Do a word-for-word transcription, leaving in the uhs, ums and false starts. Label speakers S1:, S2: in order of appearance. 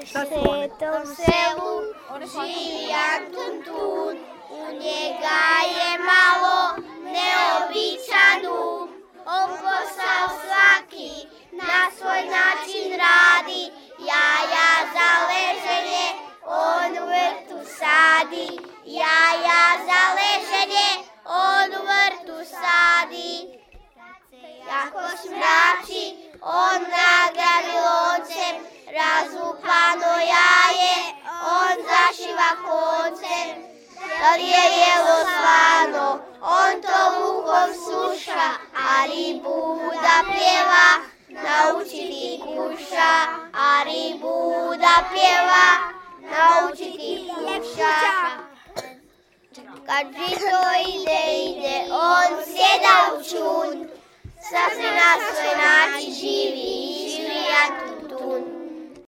S1: svetom selu živi Antun Tun, u njega je malo neobičanu. On posao svaki na svoj način radi, jaja za leženje on u vrtu sadi, jaja za leženje on u vrtu sadi. Jako smrači, on nagradi loncem, razlupano jaje, on zašiva koncem. Da li je jelo slano, on to lukom sluša, a ribu da pjeva, naučiti kuša, a ribu da pjeva, naučiti kuša. Kad žito ide, ide, on sjeda u čun, sasvim na svoj način živi, živi Antun Tun.